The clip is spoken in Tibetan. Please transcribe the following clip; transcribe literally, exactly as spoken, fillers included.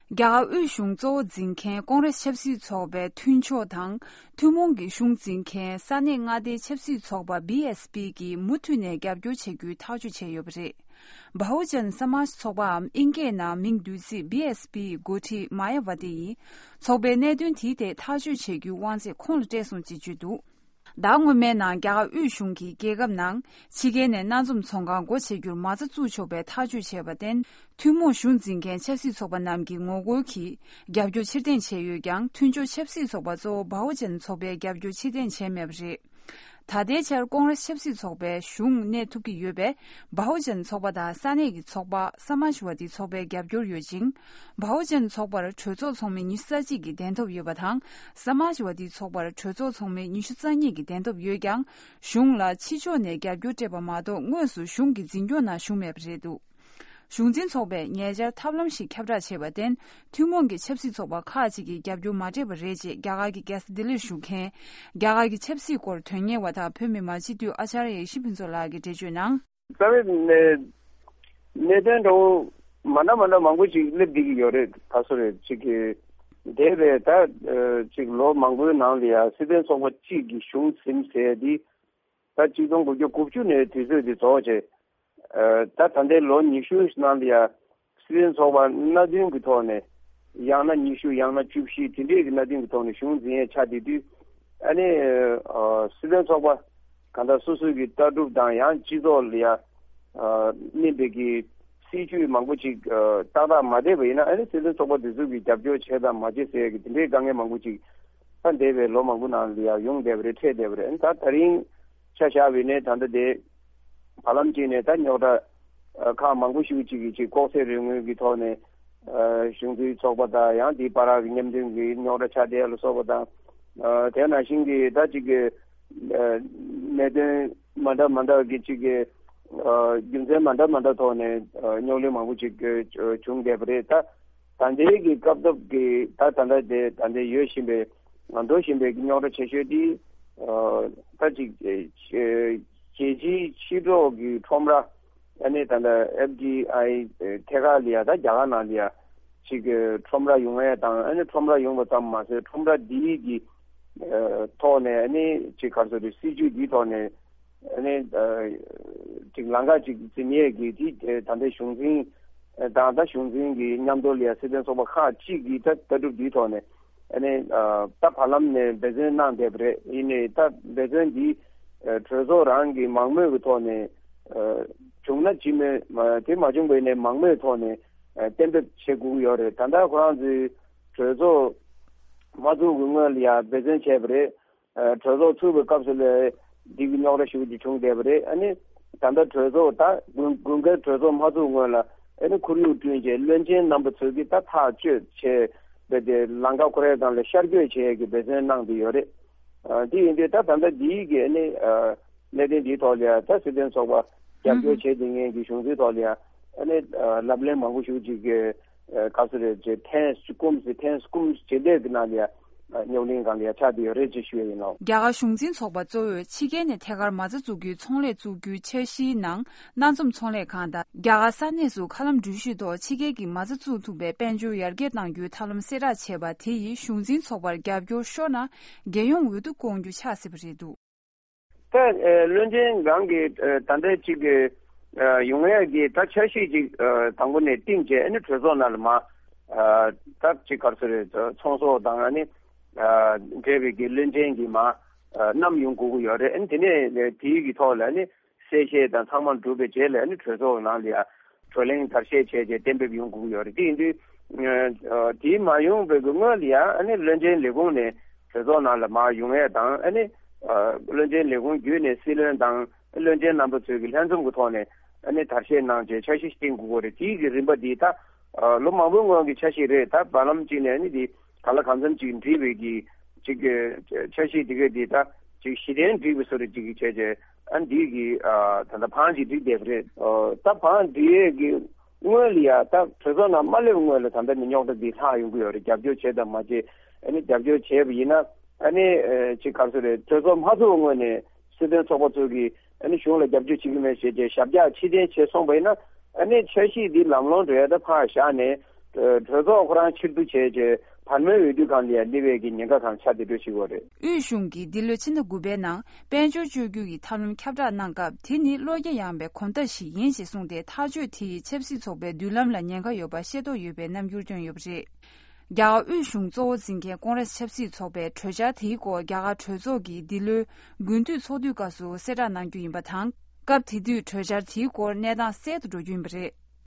རྒྱ་གར་དབུས་གཞུང་གཙོ་བོ་འཛིན་མཁན་ཀོང་རེས་ཆབ་སྲིད་ཚོགས་པའི་མཐུན་ཕྱོགས་དང་། ཐུན་མོང་གི་གཞུང་འཛིན་མཁན་ས་གནས་མངའ་སྡེའི་ཆབ་སྲིད་ཚོགས་པ་བི་ཨེས་པི་གིས་མུ་མཐུད་ནས་རྒྱབ་སྐྱོར་བྱ་རྒྱུའི་ཐག་གཅོད་བྱས་ཡོད་པ་རེད། བྷའུ་ཇན་ས་མཱཇ་ཚོགས་པའམ་དབྱིན་སྐད་ནང་མིང་བསྡུས་ཚིག་བི་ཨེས་པི་ཡི་འགོ་ཁྲིད་མ་ཡ་ཝ་ཏི་ཡིས། ཚོགས་པའི་གནད་དོན་དེའི་ཐད་ཐག་གཅོད་བྱེད་རྒྱུའི་དབང་ཚད་ཁོང་ལ་སྤྲད་སོང་ཅེས་བརྗོད་འདུག་ཟླ་སྔོན་མའི་ནང་རྒྱ་གར་དབུས་གཞུང་གིས་རྒྱལ་ཁབ་ནང་ཕྱི་རྒྱལ་ནས་སྣ་འཛོམས་ཚོང་ཁང་སྒོ་ཕྱེ་རྒྱུར་མ་རྩ་བཙུགས་ཆོག་པའི་ཐག་གཅོད་བྱས་པར་བརྟེན། ཐུན་མོང་གཞུང་འཛིན་མཁན་ཆབ་སྲིད་ཚོགས་པ་རྣམས་ཀྱི་ངོ་རྒོལ་གྱིས་རྒྱབ་སྐྱོར་ཕྱིར་འཐེན་བྱས་ཡོད་ཀྱང་། མཐུན་ཕྱོགས་ཆབ་སྲིད་ཚོགས་པ་གཙོ་བོ་བྷའུ་ཇན་ཚོགས་པས་རྒྱབ་སྐྱོར་ཕྱིར་འཐེན་བྱས་མེད་པ་རེད། ད་ལྟའི་ཆར་ཀོང་རེས་ཆབ་སྲིད་ཚོགས་པའི་གཞུང་གནས་ཐུབ་ཀྱི་ཡོད་པས། བྷའུ་ཇན་ཚོགས་པ་དང་ས་གནས་ཀྱི་ཚོགས་པ་ས་མཱཇ་ཝ་ཏི་ཚོགས་པའི་རྒྱབ་སྐྱོར་ཡོད་ཅིང་། བྷའུ་ཇན་ཚོགས་པར་གྲོས་ཚོགས་ཚོགས་མི་ཉི་ཤུ་རྩ་གཅིག་གི་གདན་ཐོབ་ཡོད་པ་དང་། ས་མཱཇ་ཝ་ཏི་ཚོགས་པར་གྲོས་ཚོགས་ཚོགས་མི་ཉི་ཤུ་རྩ་གཉིས་ཀྱི་གདན་ཐོབ་ཡོད་ཀྱང་། གཞུང་ལ་ཕྱི་ཕྱོགས་ནས་རྒྱབ་སྐྱོར་སྤྲད་པ་མ་གཏོགས། དངོས་སུ་གཞུང་གི་འཛིན་སྐྱོང་ནང་ཞུགས་མེད་པ་རེད་འདུག་གཞུང་འཛིན་ཚོགས་པས་ཉེ་ཆར་ཐབས་ལམ་ཞིག་ཁྱབ་བསྒྲགས་བྱས་པར་བརྟེན། ཐུན་མོང་གི་ཆབ་སྲིད་ཚོགས་པ་ཁག་ཅིག་གིས་རྒྱབ་སྐྱོར་མ་སྤྲད་པ་རེད་ཅེས་རྒྱ་གར་གྱི་རྒྱལ་ས་ལྡི་ལིར་བཞུགས་མཁན། རྒྱ་གར་གྱི་ཆབ་སྲིད་སྐོར་དོན་གཉེར་བ་དང་བོད་མི་མང་སྤྱི་འཐུས་ཨ་ཅཱརྱ་ཡེ་ཤེས་ཕུན་ཚོགས་ལགས་ཀྱིས་འགྲེལ་བརྗོད་གནང་། རྩ་བའི་གནད་གནད་དོན་འདྲ་བོ་མ་འདྲ་མ་འདྲ་མང་པོ་ཅིག་སླེབས་བསྡད་ཀྱི་ཡོད་རེད། ད་སོ་རེད་ཅིག་གི་འདས་པའི་ད་ཅིག་ལོ་མང་པོའི་ནང་ལ་ཡང་སྲིད་དོན་ཚོགས་པ་གཅིག་གི་གཞུང་ཟིན་ཟེར་འདི། ད་གཅིག་སྟོང་དགུ་བརྒྱ་དགུ་བཅུ་ནས་དུས་ཚོད་འདི་རྫོགས་བྱས། ད་ད་ལྟའི་ལོ་ཉི་ཤུ་ནང་ལ་ཡང་སྲིད་དོན་ཚོགས་པ་སྣ་བདུན་གྱི་ཐོག་ནས། ཡང་ན་ཉི་ཤུ་ཡང་ན་བཅུ་བཞི་དེ་འདྲའི་གི་སྣ་བདུན་གྱི་ཐོག་ནས་གཞུང་འཛིན་ཡས་ཆགས་བསྡད་དུས། ཨ་ནི་སྲིད་དོན་ཚོགས་པ་གང་ལྟར་སོ་སོའི་གི་ལྟ་གྲུབ་དང་ཡང་སྤྱི་ཚོགས་ལ་ཡང་སྨིན་པའི་གི་སྲིད་ཇུས་མང་པོ་ཅིག་ཏག་ཏག་མ་བསྡད་པ་ཡིན་ན། ཨ་ནི་སྲིད་དོན་ཚོགས་པ་དེ་ཚོ་གི་རྒྱབ་སྐྱོར་བྱས་དང་མ་བྱས་ཟེར་ཡས་གི་དེ་འདྲའི་དཀའ་ངལ་མང་པོ་ཅིག་ད་འདས་པའི་ལོ་མང་པོ་ནང་ལ་ཡང་ཡོང་བསྡད་པ་རེད། འཕྲད་བསྡད་པ་རེད། ཨ་ནི་ད་ད་རིང་ཆ་བཞག་པ་ཡིན་ནའི་ད་ལྟ་དེ་བར་ལམ་གཅིག་ནས་ད་རྙོག་དྲ་ཁག་མང་པོ་ཞིག་ཅིག་གི་ཅིག་ལྐོག་ཟ་རིག་དངོས་ཀྱི་ཐོག་ནས་གཞུང་འཛིན་ཚོགས་པ་དང་ཡང་དེའི་བར་གྱི་མཉམ་འདོན་གྱི་རྙོག་དྲ་ཆགས་བསྡད་ལ་སོགས་པ་དང་། དེ་ནང་བཞིན་གྱི་ད་ཅིག་གི་གནད་དོན་མ་འདྲ་མ་འདྲ་གི་ཅིག་གི་རྒྱུ་མཚན་མ་འདྲ་མ་འདྲ་ཐོག་ནས་རྙོག་གླེང་མང་པོ་ཅིག་བྱུང་བསྡད་པ་རེད། ད་ད་ལྟའི་གི་སྐབས་སྟབས་ཀྱི་ད་ད་ལྟ་དེ་ད་ལྟའི་ཡོད་བཞིན་པའི་འགྲོ་བཞིན་པའི་རྙོག་དྲ་ཆེ་ཤོས་དེ་ད་ཅིག་རྒྱལ་སྤྱིའི་ཕྱི་དྲོ་གི་ཁྲོམ་ར། ཨ་ནི་ད་ལྟ་ཨེཕ་ཌི་ཨའི་ཐད་ཀར་ལ་ཡ་ད་རྒྱ་གར་ནང་ལ་ཡ་ཅིག་གི་ཁྲོམ་ར་ཡོང་ཡ་དང་། ཨ་ནི་ཁྲོམ་ར་ཡོང་བ་ཙམ་མ་ཟད་ཁྲོམ་ར་འདིའི་གི་ཐོག་ནས་ཨ་ནི་ཅིག་ག་རེ་ཟེར་དགོས་རེད། སྲིད་ཇུས་འདིའི་ཐོག་ནས་ཨ་ནི་ཅིག་ལམ་ཁ་ཅིག་འཛིན་ཡས་ཀྱི་དེ་ད་ལྟའི་གཞུང་འཛིན་དང་ད་གཞུང་འཛིན་གྱི་མཉམ་དུ་ལ་ཡ་སྲིད་དོན་ཚོགས་པ་ཁག་ཅིག་གི་ད་ལྟ་གྲུབ་འདིའི་ཐོག་ནས། ཨ་ནི་ད་བར་ལམ་ནས་འབད་བརྩོན་གནང་བསྡད་པ་རེད། ཡིན་ནའི་ད་འབད་བརྩོན་འདི་གྲོས་ཚོགས་རང་གི་མང་མོས་ཀྱི་ཐོག་ནས་བྱུང་ན་ཅི་མོས། དེ་མ་བྱུང་བ་ཡིན་ནའི་མང་མོས་ཐོག་ནས་གཏན་འབེབས་བྱེད་དགོས་ཀྱི་ཡོད་རེད། ད་ལྟ་ཁོ་རང་ཚོའི་གྲོས་ཚོགས་མ་ཚུགས་ཀྱི་སྔོན་ལ་ཡང་འབད་བརྩོན་བྱས་པ་རེད། གྲོས་ཚོགས་ཚུགས་པའི་སྐབས་སུ་ལ་འདི་གི་རྙོག་དྲ་ཞེ་པོ་ཅིག་བྱུང་བསྡད་པ་རེད། ཨ་ནི་ད་ལྟ་གྲོས་ཚོགས་ད་དགུན་དགུན་ཁའི་གྲོས་ཚོགས་མ་ཚུགས་སྔོན་ལ་ཨ་ནི་ཁོར་ཡུག་བསྐྲུན་བྱས་བློན་ཆེན་རྣམ་པ་ཚོས་ཀྱིས་ད་ཐག་གཅོད་བྱས་པའི་དེ་ལམ་ཁ་ཁོ་རའི་སྒང་ལ་ཤར་བསྐྱོད་བྱེད་ཡས་ཀྱི་འབད་བརྩོན་གནང་བསྡད་ཡོད་རེད། ཨ་དེ་ཡིན་དུས་ད་ད་ལྟ་འདིའི་གི་ཨ་ནི་གནད་དོན་འདིའི་ཐོག་ལ་ཡང་ད་སྲིད་དོན་ཚོགས་པ་རྒྱབ་སྐྱོར་བྱེད་བསྡད་མཁན་གྱི་གཞུང་འཛིན་ཐོག་ལ་ཡང་ཨ་ནི་ལབ་གླེང་མང་པོ་ཞིག་ཅིག་གི་ག་ཚོད་རེད་ཅེས་ཐེངས་བཅུ་གསུམ་ཟེར་ཐེངས་བཅུ་གསུམ་ཇི་འདྲས་ཀྱི་ནང་ལ་ཡང་རྙོག་གླེང་སྒང་ལ་ཡང་ཆགས་བསྡད་ཡོད་རེད་ཅེས་ཞུ་ཡ་ཡིན་ནོ། རྒྱ་གར་གཞུང་འཛིན་ཚོགས་པ་གཙོ་བོས་ཕྱི་རྒྱལ་ནས་ཐད་ཀར་མ་རྩ་འཛུགས་རྒྱུའི་ཚོང་ལས་བཙུགས་རྒྱུའི་འཆར་གཞིའི་ནང་སྣ་འཛོམས་ཚོང་ལས་ཁང་དང་རྒྱ་གར་ས་གནས་སུ་མཁའ་ལམ་འགྲུལ་བཞུད་ཐོག་ཕྱི་རྒྱལ་གྱི་མ་རྩ་བཙུགས་ཐུབ་པའི་དཔལ་འབྱོར་ཡར་རྒྱས་གཏང་རྒྱུའི་ཐབས་ལམ་གསལ་བསྒྲགས་བྱས་པ་དེ་ཡིས་གཞུང་འཛིན་ཚོགས་པར་རྒྱབ་སྐྱོར་ཤོར་ན་རྒྱལ་ཡོངས་འོས་བསྡུ་སྐོང་རྒྱུ་ཆགས་སྲིད་པ་རེད་འདུག་ད་ཨ་བློན་ཆེན་རང་གིས་ཨ་ད་ལྟ་ཅིག་གི་ཨ་ཡོང་ཡག་གི་ད་འཆར་གཞི་ཅིག་ཨ་དང་པོ་ནས་བཏིང་བྱས་ཨ་ནི་གྲོས་ཚོགས་ནང་ལ་མར་ཨ་ད་ཅིག་ག་རེ་ཟེར་རེད། ཚོང་ཟོག་དང་ཨ་ནི་ཨ་འབྲེལ་བའི་གི་བློན་ཆེན་གྱིས་མར་ཨ་བསྣམས་ཡོང་དགོས་ཀྱི་ཡོད་རེད། ཨ་ནི་དེ་ནས་དེའི་གི་ཐོག་ལ་ཨ་ནི་གསལ་བཤད་དང་ཚང་མ་གྲུབ་པའི་རྗེས་ལ་ཨ་ནི་གྲོས་ཚོགས་ནང་ལ་ཡ་བགྲོ་གླེང་བརྡར་ཤ་བྱས་རྗེས་གཏན་འབེབས་ཡོང་དགོས་ཀྱི་ཡོད་རེད། དེ་ཡིན་དུས་ཨ་དེ་མ་ཡོང་བའི་གི་སྔོན་ལ་ཡ་ཨ་ནི་བློན་ཆེན་ལས་ཁུངས་ནས་གྲོས་ཚོགས་ནང་ལ་མར་ཡོང་ཡས་དང་། ཨ་ནི་ཨ་བློན་ཆེན་ལས་ཁུངས་བརྒྱུད་ནས་སྲིད་བློན་དང་བློན་ཆེན་རྣམ་པ་ཚོས་ཀྱི་ལྷན་འཛོམས་ཀྱི་ཐོག་ནས་ཨ་ནི་བརྡར་ཤ་གནང་རྗེས་འཆར་གཞི་བཏིང་དགོས་ཀྱི་རེད། དེའི་གི་རིམ་པ་འདི་ད་ཨ་ལོ་མང་པོའི་སྔོན་གྱི་འཆར་གཞི་རེད། ད་བར་ལམ་གཅིག་ནས་ཨ་ནི་འདི་གང་ལ་གང་འཚམ་ཅིག་འགྲིག་པའི་གི་ཅིག་གི་འཆར་གཞི་འདི་ག་འདི་ད་ཅིག་གཞི་རྟེན་འགྲིག་པའི་བཟོ་འདྲ་ཅིག་གི་བྱས་རྗེས་ཨ་འདི་གི་ཨ་ད་ལྟ་བང་ཅིག་བསྒྲིགས་བསྡད་པ་རེད། ཨ་ད་བང་བསྒྲིགས་ཡས་ཀྱི་སྔོན་ལ་ཡ་ད་གྲོས་ཚོགས་ནང་མ་སླེབས་སྔོན་ལ་ད་ལྟ་ནི་རྙོག་དྲ་འདི་ལྷག་ཡོང་གི་ཡོད་རེད། རྒྱབ་སྐྱོར་བྱས་དང་མ་བྱས། ཨ་ནི་རྒྱབ་སྐྱོར་བྱས་པ་ཡིན་ན་ཨ་ནི་ཨ་ཅིག་ག་རེ་ཟེར་རེད། གྲོས་ཚོགས་མ་ཚུགས་སྔོན་ནས་སྲིད་དོན་ཚོགས་པ་ཚོ་གིས་ཨ་ནི་གཞུང་ལ་རྒྱབ་སྐྱོར་བྱེད་ཀྱི་མེད་ཟེར་བྱས་ཞབས་བཀྱག་ཕྱིར་འཐེན་བྱས་སོང་བ་ཡིན་ན། ཨ་ནི་འཆར་གཞི་འདི་ལམ་ལྷོང་འགྲོ་ཡ་ད་ཕར་བཞག་ནས་ གྲོས་ཚོགས་ཁོ་རང་ཕྱིར་བསྡུ་བྱས་རྗེས་བར་མའི་འོས་བསྡུ་སྒང་ལ་ཡང་སླེབས་པའི་གི་ཉེན་ཁ་གང་ཆགས་བསྡད་འགྲོ་ཞིག་ཡོད་རེད། དབུས་གཞུང་གིས་འདི་ལོའི་ཕྱི་ཟླ་དགུ་པའི་ནང་དཔལ་འབྱོར་བཅོས་བསྒྱུར་གྱི་ཐབས་ལམ་ཁྱབ་བསྒྲགས་གནང་སྐབས། དེ་ནི་བློ་རྒྱ་ཡངས་པའི་གོམ་སྟབས་ཤིག་ཡིན་ཞེས་གསུངས་ཏེ། ཐག་གཅོད་དེ་ཡིས་ཆབ་སྲིད་ཚོགས་པའི་མདུན་ལམ་ལ་ཉེན་ཁ་ཡོད་པ་ཤེས་རྟོགས་ཡོད་པའི་རྣམ་འགྱུར་བསྟན་ཡོད་པ་རེད། རྒྱ་གར་དབུས་གཞུང་གཙོ་བོ་འཛིན་མཁན་ཀོང་རེས་ཆབ་སྲིད་ཚོགས་པས་གྲོས་འཆར་དེའི་སྐོར་རྒྱ་གར་གྲོས་ཚོགས་ཀྱི་འདི་ལོའི་དགུན་དུས་ཚོགས་དུས་སྐབས་སུ་གསལ་བསྒྲགས་གནང་རྒྱུ་ཡིན་པ་དང་། སྐབས་དེ་དུས་གྲོས་འཆར་དེའི་སྐོར་གནས་སྟངས་གསལ་དུ་འགྲོ་རྒྱུ་ཡིན་པ་རེད།